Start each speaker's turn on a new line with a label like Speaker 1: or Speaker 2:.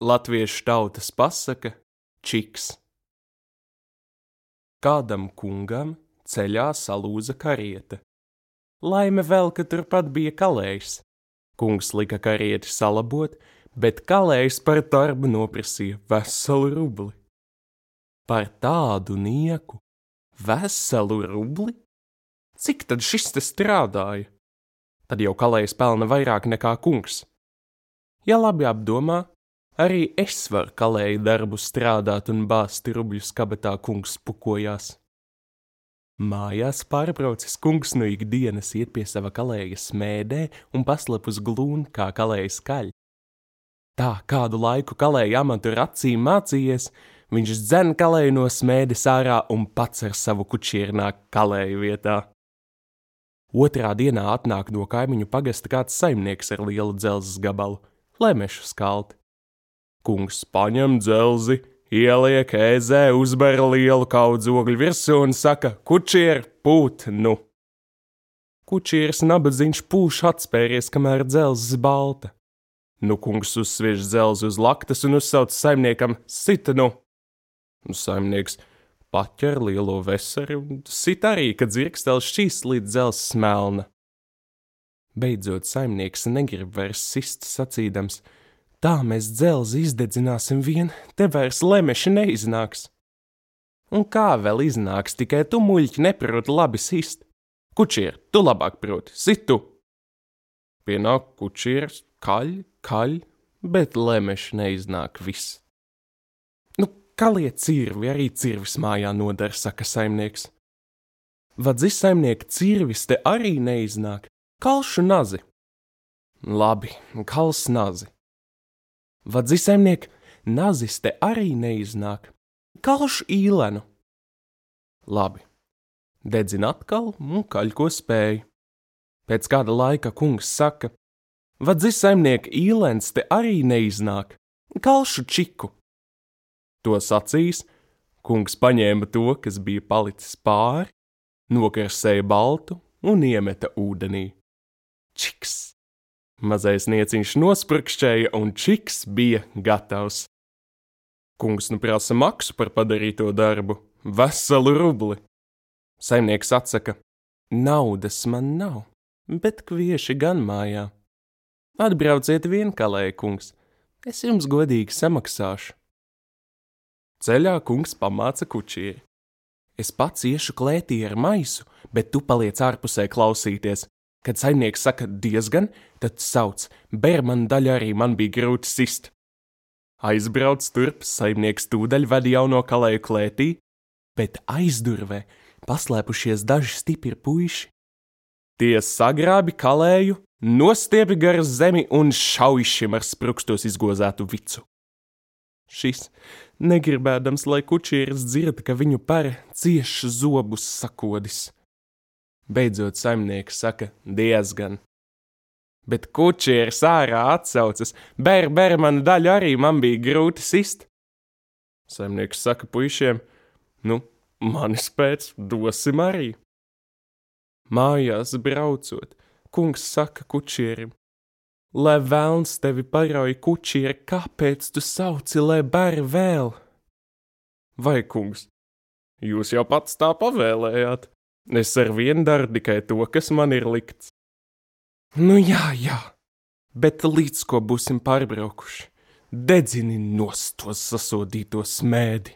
Speaker 1: Latviešu tautas pasaka Čiks. Kādam kungam ceļā salūza kariete. Laime vēl, ka turpat bija kalējs. Kungs lika karieti salabot, bet kalējs par darbu noprasīja veselu rubli. Par tādu nieku veselu rubli? Cik tad šis te strādāja? Tad jau kalējs pelna vairāk nekā kungs. Ja labi apdomā, arī es varu kalēju darbu strādāt un bāzt rubļus kabatā, kungs pukojās. Mājās pārbraucis kungs no ikdienas iet pie sava kalēja smēdē un paslep uz glūni, kā kalējs kaļ. Tā kādu laiku kalēja amatu ar acīm mācījies, viņš dzen kalēju no smēdes ārā un pats ar savu kučieru nāk kalēju vietā. Otrā dienā atnāk no kaimiņu pagasta kāds saimnieks ar lielu dzelzes gabalu, lai mešu skalti. Kungs paņem dzelzi, ieliek ēzē, uzber lielu kaudzogļu virsū un saka: kučier, pūt nu! Kučieris nabadzīņš pūš atspēries, kamēr dzelzes balta. Nu kungs uzsviež dzelzi uz laktas un uzsauc saimniekam: sita nu! Saimnieks paķer lielo veseri un sit arī, kad dzirkstēls šķīst līdz dzelzes melna. Beidzot saimnieks negrib vairs sist, sacīdams: tā mēs dzelzi izdedzināsim vien, te vairs lemeši neiznāks. Un kā vēl iznāks, tikai tu, muļķi, neproti labi sist. Kučier, tu labāk proti, sit tu! Pienāk kučieris, kaļ, bet lemeši neiznāk viss. Nu, kalie cirvi, arī cirvis mājā nodara, saka saimnieks. Vadzi saimnieka cirvis te arī neiznāk, kalšu nazi. Labi, kals nazi. Vadzi saimniek, nazis te arī neiznāk, kalšu īlenu. Labi, dedzin atkal un kaļ ko spēj. Pēc kāda laika kungs saka: vadzi saimniek, īlens te arī neiznāk, kalšu čiku. To sacīs, kungs paņēma to, kas bija palicis pāri, nokarsēja baltu un iemeta ūdenī. Čiks! Mazais nieciņš nosprukšķēja un čiks bija gatavs. Kungs nu prasa maksu par padarīto darbu, veselu rubli. Saimnieks atsaka: naudas man nav, bet kvieši gan mājā. Atbrauciet vien, kalēja kungs, es jums godīgi samaksāšu. Ceļā kungs pamāca kučieri: es pats iešu klētī ar maisu, bet tu paliec ārpusē klausīties. Kad saimnieks saka diezgan, tad sauc: ber man daļu, arī man bija grūti sist. Aizbrauc turp, saimnieks tūdaļ ved jauno kalēju klētī, bet aizdurvē paslēpušies daži stipri puiši. Tie sagrābi kalēju, nostiebi gar zemi un šaujušiem ar sprukstos izgozētu vicu. Šis, negribēdams, lai kučieris dzird, ka viņu pere cieš zobus sakodis. Beidzot saimnieks saka diezgan. Bet kučieris ārā atsaucas: ber manu daļu, arī man bija grūti sist. Saimnieks saka puišiem: nu, manis pēc dosim arī. Mājās braucot, kungs saka kučierim: lai velns tevi parauj, kučieri, kāpēc tu sauci, lai ber vēl? Vai, kungs, jūs jau pats tā pavēlējāt? Es ar vienu daru tikai to, kas man ir likts. Nu jā, bet līdz ko būsim pārbraukuši, dedzini nost to sasodīto smēdi.